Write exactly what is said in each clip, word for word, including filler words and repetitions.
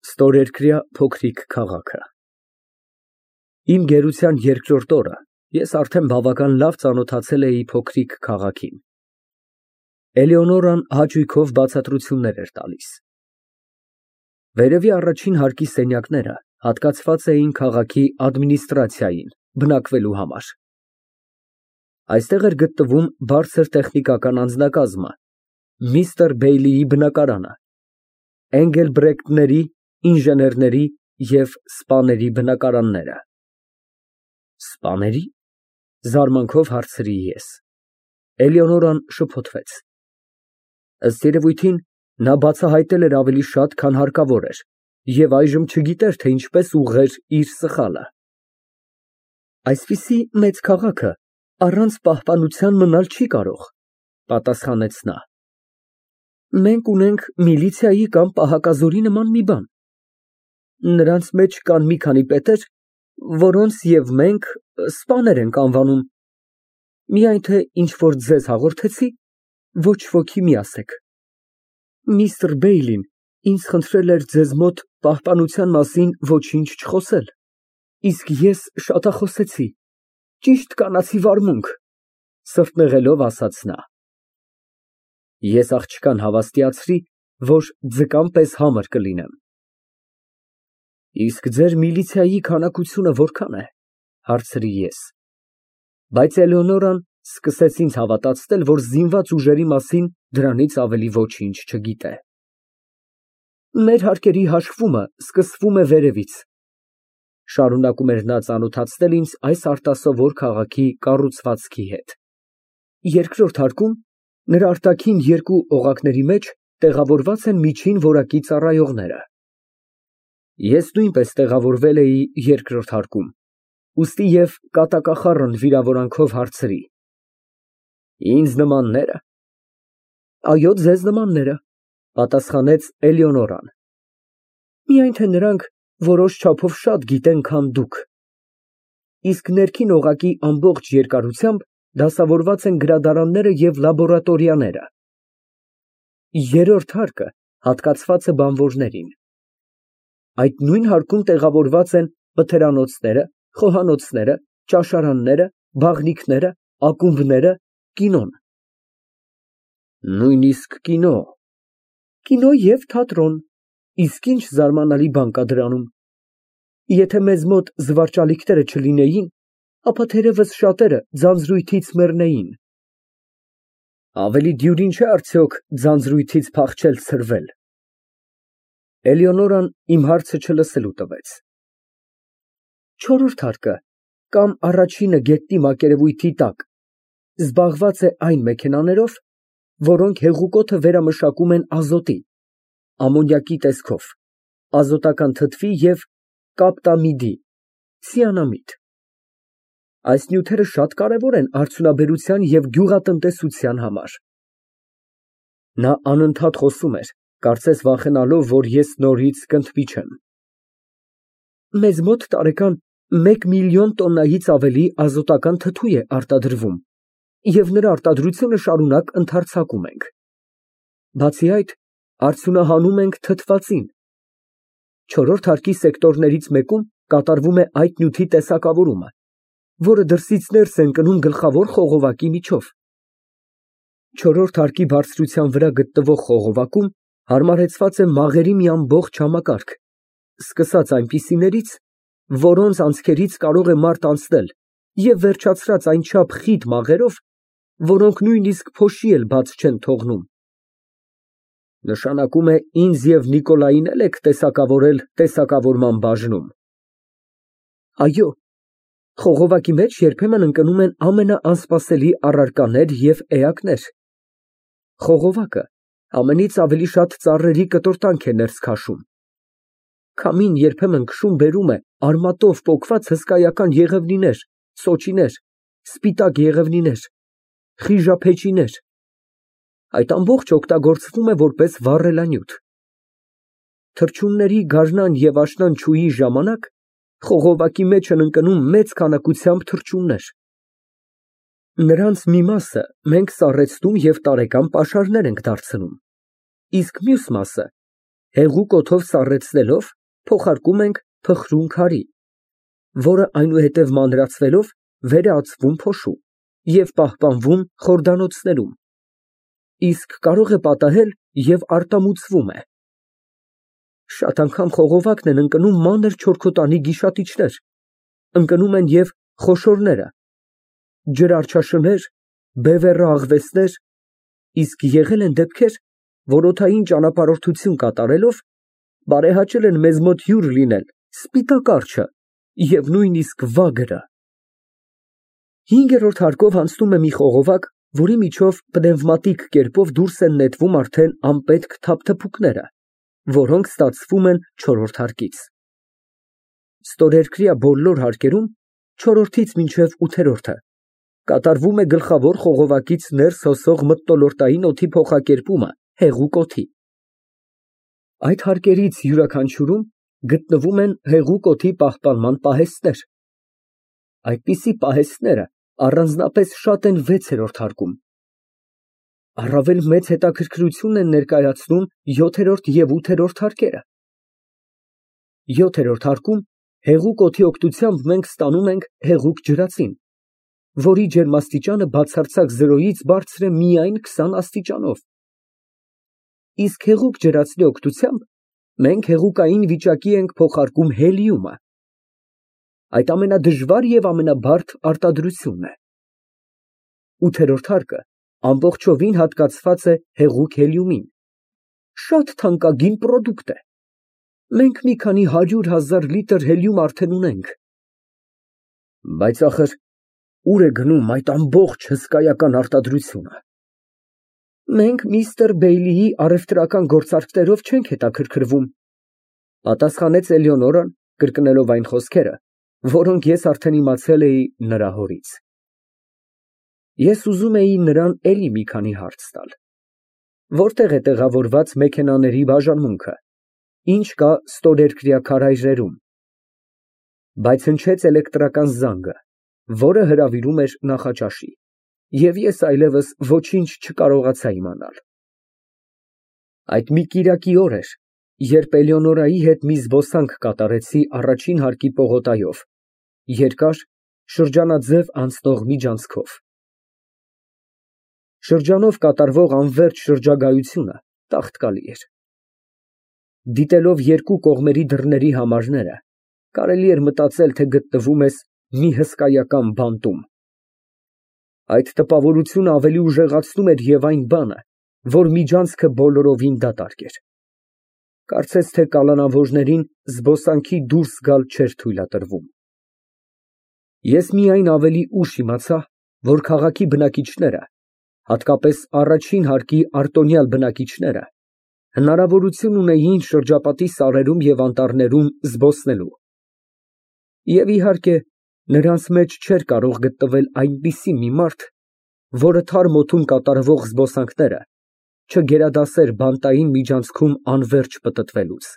Ստորերկրյա փոքրիկ քաղաքը։ Իմ գերության երկրորդ օրը ես արդեն բավական լավ ծանոթացել էի փոքրիկ քաղաքին։ Էլեոնորան հաճույքով բացատրություններ էր տալիս։ Վերևի առաջին հարկի սենյակները հատկացված էին քաղաքի ադմինիստրացիային բնակվելու համար։ Այստեղ էր գտնվում բարձր տեխնիկական անձնակազմը, միստր Բեյլիի բնակարանը, Էնգելբրեկտների, ինժեներների և սպաների բնակարանները։ Սպաների՞, զարմանքով հարցրի ես։ Էլեոնորան շփոթվեց։ Ըստ երևույթին, նա բացահայտել էր ավելի շատ, քան հարկավոր էր, և այժմ չգիտեր, թե ինչպես ուղղեր իր սխալը։ Այսպիսի մեծ քաղաքը առանց պահպանության մնալ չի կարող, պատասխանեց նա։ Մենք ունենք միլիցիայի կամ պահակազորի նման մի բան։ Նրանց մեջ կան մի քանի պետեր, որոնց և մենք սպաներ ենք անվանում, միայն թե ինչ որ ձեզ հաղորդեցի, ոչ ոքի մի ասեք։ Միստր Բեյլին ինձ խնդրել էր ձեզ մոտ պահպանության մասին ոչինչ չխոսել, իսկ ես շատախոսեցի, ճիշտ կանացի վարմունք, սրտնեղելով ասաց նա։ Ես աղջկան հավաստիացրի, որ ձկան պես համր կլինեմ։ Իսկ ձեր միլիցիայի քանակությունը որքան է, հարցրի ես։ Բայց Էլեոնորան սկսեց ինձ հավատացնել, որ զինված ուժերի մասին դրանից ավելի ոչինչ չգիտե։ Մեր հարկերի հաշվումը սկսվում է վերևից, շարունակում էր նա ծանոթացնել ինձ այս արտասովոր քաղաքի կառուցվածքի հետ։ Երկրորդ հարկում նրա արտաքին երկու օղակների մեջ տեղավորված են միջին որակի ծառայողները։ Ես նույնպես տեղավորվել էի երկրորդ հարկում, ուստի և կատակախառն վիրավորանքով հարցրի. Ինձ նմաննե՞րը։ Այո, ձեզ նմանները, պատասխանեց Էլեոնորան։ Միայն թե նրանք որոշ չափով շատ գիտեն, քան դուք։ Իսկ ներքին օղակի ամբողջ երկարությամբ դասավորված են գրադարանները և լաբորատորիաները։ Երրորդ հարկը հատկացված է բանվորներին։ Այդ նույն հարկում տեղավորված են մթերանոցները, խոհանոցները, ճաշարանները, բաղնիքները, ակումբները, կինոն։ Նույնիսկ կինո։ Կինո և թատրոն, իսկ ինչ զարմանալի բան կա դրանում։ Եթե մեզ մոտ զվարճալիքները չլինեին, ապա թերևս շատերը ձանձրույթից մեռնեին։ Ավելի դյուրին չէ արդյոք ձանձրույթից փախչել ցրվել։ Էլեոնորան իմ հարցը չլսելու տվեց։ Չորրորդ հարկը, կամ առաջինը գետնի մակերևույթի տակ, զբաղված է այն մեքենաներով, որոնք հեղուկոդը վերամշակում են ազոտի, ամոնիակի տեսքով, ազոտական թթվի և կապտամիդի, ցիանամիդ։ Այս նյութերը շատ կարևոր են արդյունաբերության և գյուղատնտեսության համար։ Նա անընդհատ խոսում էր, կարծես վախենալով, որ ես նորից կընդմիջեմ։ Մեզ մոտ տարեկան մեկ միլիոն տոննայից ավելի ազոտական թթու է արտադրվում, և նրա արտադրությունը շարունակ ընդարձակում ենք։ Բացի այդ, արդյունահանում ենք թթվածին։ Չորրորդ հարկի սեկտորներից մեկում կատարվում է այդ նյութի տեսակավորումը, որը դրսից ներս է ընկնում գլխավոր խողովակի միջով։ Չորրորդ հարկի բարձրության վրա գտնվող խողովակում հարմարեցված է մաղերի մի ամբողջ համակարգ, սկսած այնպիսիներից, որոնց անցքերից կարող է մարդ անցնել, և վերջացրած այնչափ խիտ մաղերով, որոնք նույնիսկ փոշի էլ բաց չեն թողնում։ Նշանակում է ինձ և Նիկոլային էլ եք տեսակավորել տեսակավորման բաժնում։ Այո, խողովակի մեջ երբեմն ընկնում են ամենաանսպասելի առարկաներ և էակներ։ Խողովակը ամենից ավելի շատ ծառերի կտորտանք է ներս քաշում։ Քամին երբեմն քշում֊բերում է արմատով պոկված հսկայական եղևնիներ, սոճիներ, սպիտակ եղևնիներ, խիժափեչիներ։ Այդ ամբողջը օգտագործվում է որպես վառելանյութ։ Թռչունների գարնան և աշնան չուի ժամանակ խողովակի մեջ են ընկնում մեծ քանակությամբ թռչուններ։ Նրանց մի մասը մենք սառեցնում և տարեկան պաշարներ ենք դարձնում, իսկ մյուս մասը հեղուկ օդով սառեցնելով փոխարկում ենք փխրուն քարի, որը այնուհետև մանրացվելով վեր է ածվում փոշու և պահպանվում խորդանոցներում, իսկ կարող է պատահել և արտամուծվում է։ Շատ անգամ խողովակն են ընկնում մանր չորքոտանի գիշատիչներ, ընկնում են և խոշորները, ջրարջաշներ, բևեռը աղվեսներ, իսկ եղել են դեպքեր, որ օդային ճանապարհորդություն կատարելով բարեհաճել են մեզ մոտ հյուր լինել սպիտակ արջը և նույնիսկ վագրը։ Հինգերորդ հարկով անցնում է մի խողովակ, որի միջով պնևմատիկ կերպով դուրս են նետվում արդեն անպետք թափթփուկները, որոնք ստացվում են չորրորդ հարկից։ Ստորերկրյա բոլոր հարկերում չորրորդից մինչև ութերորդը կատարվում է գլխավոր խողովակից ներս հոսող մթնոլորտային օդի փոխակերպումը հեղուկ օդի։ Այդ հարկերից յուրաքանչյուրում գտնվում են հեղուկ օդի պահպանման պահեստներ։ Այդպիսի պահեստները առանձնապես շատ են վեցերորդ հարկում։ Առավել մեծ հետաքրքրություն են ներկայացնում յոթերորդ և ութերորդ հարկերը։ Յոթերորդ հարկում հեղուկ օդի օգնությամբ մենք ստանում ենք հեղուկ ջրածին, որի ջերմաստիճանը բացարձակ զրոյից բարձր է միայն քսան աստիճանով, իսկ հեղուկ ջրածնի օգնությամբ մենք հեղուկային վիճակի ենք փոխարկում հելիումը։ Այդ ամենադժվար և ամենաբարդ արտադրությունն է։ Ութերորդ հարկը ամբողջովին հատկացված է հեղուկ հելիումին, շատ թանկագին պրոդուկտ է։ Մենք մի քանի հարյուր հազար լիտր հելիում արդեն ունենք։ Բայց ախր ուր է գնում այդ ամբողջ հսկայական արտադրությունը։ Մենք միստր Բեյլիի առևտրական գործարքներով չենք հետաքրքրվում, պատասխանեց Էլեոնորան, կրկնելով այն խոսքերը, որոնք ես արդեն իմացել էի նրա հորից։ Ես ուզում էի նրան էլի մի քանի հարց տալ. որտե՞ղ է տեղավորված մեքենաների բաժանմունքը, ինչ կա ստորերկրյա քարայրերում։ Բայց հնչեց էլեկտրական զանգը, որը հրավիրում էր նախաճաշի, և ես այլևս ոչինչ չկարողացա իմանալ։ Այդ մի կիրակի օր էր, երբ Էլեոնորայի հետ մի զբոսանք կատարեցի առաջին հարկի պողոտայով, երկար, շրջանաձև անցնող միջանցքով։ Շրջանով կատարվող անվերջ շրջագայությունը տաղտկալի էր։ Դիտելով երկու կողմերի դռների համարները, կարելի էր մտածել, թե գտնվում ես մի հսկայական բանտում։ Այդ տպավորությունը ավելի ուժեղացնում էր և այն բանը, որ միջանցքը բոլորովին դատարկ էր։ Կարծես թե կալանավորներին զբոսանքի դուրս գալ չէր թույլատրվում։ Ես միայն ավելի ուշ իմացա, որ քաղաքի բնակիչները, հատկապես առաջին հարկի արտոնյալ բնակիչները, հնարավորություն ունեին շրջապատի սարերում և անտառներում զբոսնելու։ Եվ իհարկե, նրանց մեջ չէր կարող գտնվել այնպիսի մի մարդ, որը թարմ օդում կատարվող զբոսանքները չգերադասեր բանտային միջանցքում անվերջ պտտվելուց։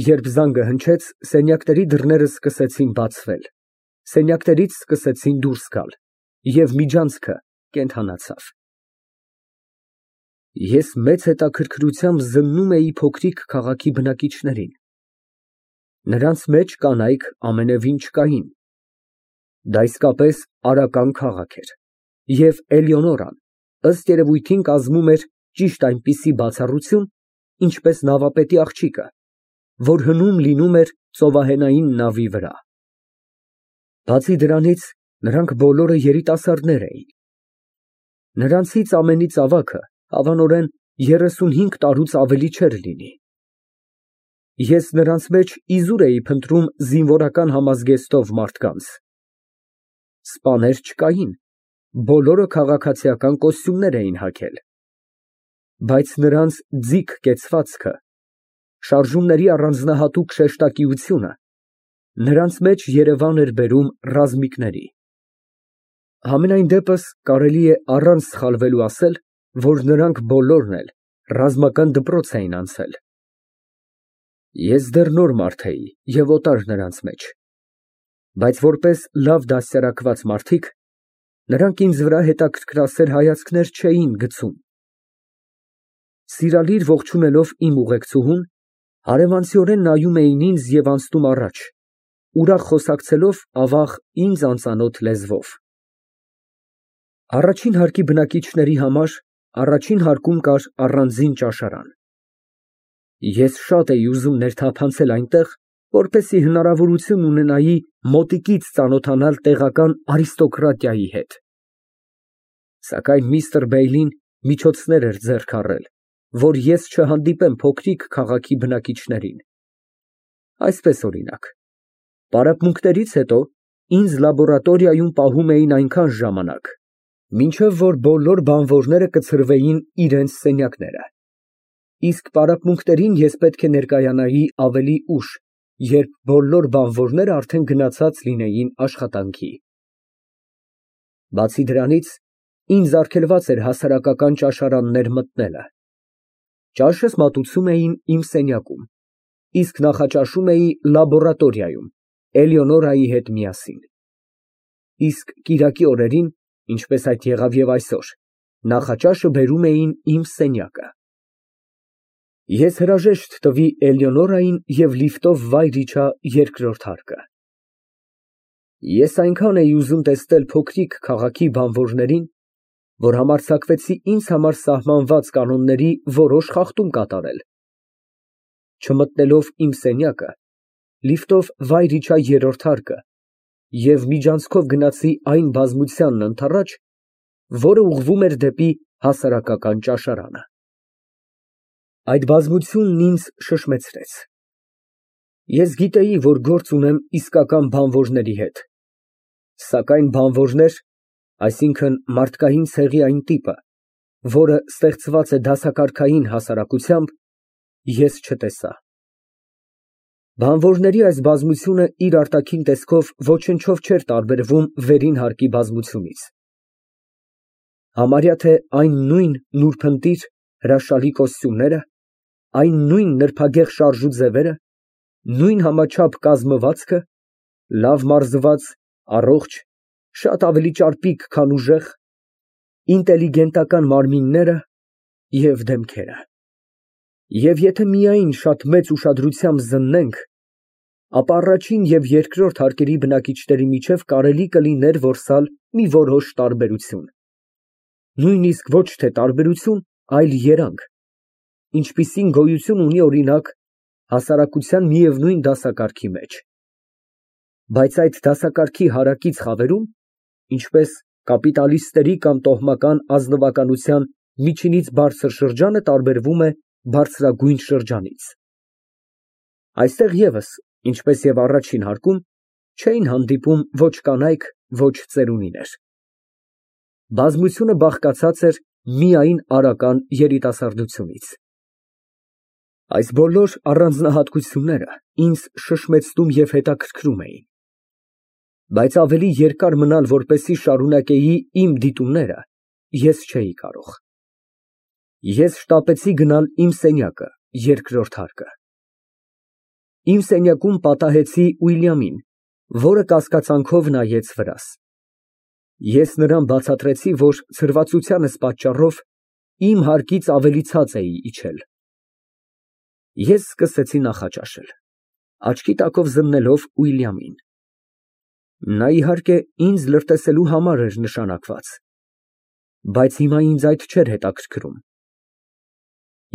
Երբ զանգը հնչեց, սենյակների դռները սկսեցին բացվել, սենյակներից սկսեցին դուրս գալ, և միջանցքը կենդանացավ։ Ես մեծ հետաքրքրությամբ զննում էի փոքրիկ քաղաքի բնակիչներին։ Նրանց մեջ կանայք ամենևին չկային։ Դա իսկապես արական քաղաք էր, և Էլեոնորան, ըստ երևույթին, կազմում էր ճիշտ այնպիսի բացառություն, ինչպես նավապետի աղջիկը, որ հնում լինում էր ծովահենային նավի վրա։ Բացի դրանից, նրանք բոլորը երիտասարդներ էին։ Նրանցից ամենից ավագը, հավանորեն, երեսունհինգ տարուց ավելի չէր լինի։ Ես նրանց մեջ իզուր էի փնտրում զինվորական համազգեստով մարդկանց։ Սպաներ չկային, բոլորը քաղաքացիական կոստյումներ էին հագել։ Բայց նրանց ձիգ կեցվածքը, շարժումների առանձնահատուկ շեշտակիությունը նրանց մեջ երևան էր բերում ռազմիկների։ Համենայն դեպս, կարելի է առանց սխալվելու ասել, որ նրանք բոլորն էլ ռազմական դպրոց էին անցել։ Ես դեռ նոր մարդ էի և օտար նրանց մեջ, բայց որպես լավ դաստիարակված մարդիկ, նրանք ինձ վրա հետաքրքրասեր հայացքներ չէին գցում։ Սիրալիր ողջունելով իմ ուղեկցուհուն, Հարևանցիորեն նայում էին ինձ և անցնում առաջ, ուրախ խոսակցելով ավաղ ինձ անծանոթ լեզվով։ Առաջին հարկի բնակիչների համար առաջին հարկում կար առանձին ճաշարան։ Ես շատ էի ուզում ներթափանցել այնտեղ, որպեսզի հնարավորություն ունենայի մոտիկից ծանոթանալ տեղական արիստոկրատիայի հետ։ Սակայն միստր Բեյլին միջոցներ էր ձեռք առել, որ ես չհանդիպեմ փոքրիկ քաղաքի բնակիչներին։ Այսպես, օրինակ, պարապմունքներից հետո ինձ լաբորատորիայում պահում էին այնքան ժամանակ, մինչև որ բոլոր բանվորները կցրվեին իրենց սենյակները, իսկ պարապմունքներին ես պետք է ներկայանայի ավելի ուշ, երբ բոլոր բանվորները արդեն գնացած լինեին աշխատանքի։ Բացի դրանից, ինձ արգելված էր հասարակական ճաշարաններ մտնելը։ Ճաշս մատուցում էին իմ սենյակում, իսկ նախաճաշում էի լաբորատորիայում Էլեոնորայի հետ միասին։ Իսկ կիրակի օրերին, ինչպես այդ եղավ և այսօր, նախաճաշը բերում էին իմ սենյակը։ Ես հրաժեշտ տվի Էլեոնորային և լիֆտով վայր իջա երկրորդ հարկը։ Ես այնքան էի ուզում տեսնել փոքրիկ քաղաքի բանվորներին, որ համարձակվեցի ինձ համար սահմանված կանոնների որոշ խախտում կատարել։ Չմտնելով իմ սենյակը, լիֆտով վայր իջա երրորդ հարկը և միջանցքով գնացի այն բազմությանն ընդառաջ, որը ուղղվում էր դեպի հասարակական ճաշարանը։ Այդ բազմությունն ինձ շշմեցրեց։ Ես գիտեի, որ գործ ունեմ իսկական բանվորների հետ, սակայն բանվորներ, այսինքն մարդկային ցեղի այն տիպը, որը ստեղծված է դասակարգային հասարակությամբ, ես չտեսա։ Բանվորների այս բազմությունը իր արտաքին տեսքով ոչնչով չէր տարբերվում վերին հարկի բազմությունից։ Համարյա թե այն նույն նուրբընտիր հրաշալի կոստյումները, այն նույն նրբագեղ շարժու ձևերը, նույն համաչափ կազմվածքը, լավ մարզված, առողջ, շատ ավելի ճարպիկ, քան ուժեղ, ինտելիգենտական մարմինները և դեմքերը։ Եվ եթե միայն շատ մեծ ուշադրությամբ զննենք, ապա առաջին և երկրորդ հարկերի բնակիչների միջև կարելի կլիներ որսալ մի որոշ տարբերություն, նույնիսկ ոչ թե տարբերություն, այլ երանգ, ինչպիսին գոյություն ունի, օրինակ, հասարակության միևնույն դասակարգի մեջ։ Բայց այդ դասակարգի հարակից խավերում, ինչպես կապիտալիստների կամ տոհմական ազնվականության միջինից բարձր շրջանը տարբերվում է բարձրագույն շրջանից։ Այստեղ ևս, ինչպես և առաջին հարկում, չէին հանդիպում ոչ կանայք, ոչ ծերունիներ։ Բազմությունը բաղկացած էր միայն արական երիտասարդությունից։ Այս բոլոր առանձնահատկությունները ինձ շշմեցնում և հետաքրքրում էին։ Բայց ավելի երկար մնալ, որպեսզի շարունակեի իմ դիտումները, ես չէի կարող։ Ես շտապեցի գնալ իմ սենյակը, երկրորդ հարկը։ Իմ սենյակում պատահեցի Ուիլյամին, որը կասկածանքով նայեց վրաս։ Ես նրան բացատրեցի, որ ցրվածությանս պատճառով իմ հարկից ավելի ցած էի իջել։ Ես սկսեցի նախաճաշել, աչքի տակով զննելով Ուիլյամին։ Նա, իհարկե, ինձ լրտեսելու համար էր նշանակված, բայց հիմա ինձ այդ չէր հետաքրքրում։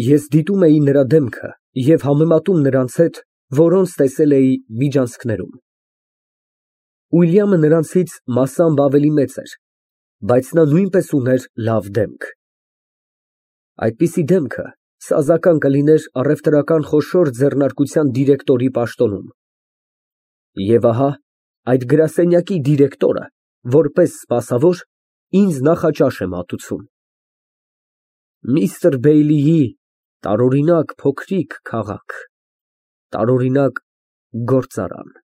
Ես դիտում էի նրա դեմքը և համեմատում նրանց հետ, որոնց տեսել էի միջանցքներում։ Ուիլյամը նրանցից մասամբ ավելի մեծ էր, բայց նա նույնպես ուներ լավ դեմք։ Այդպիսի դեմքը սազական կլիներ առևտրական խոշոր ձեռնարկության դիրեկտորի պաշտոնում։ Եվ ահա այդ գրասենյակի դիրեկտորը, որպես սպասավոր, ինձ նախաճաշ է մատուցում։ Միստր Բեյլիի տարօրինակ փոքրիկ քաղաք, տարօրինակ գործարան։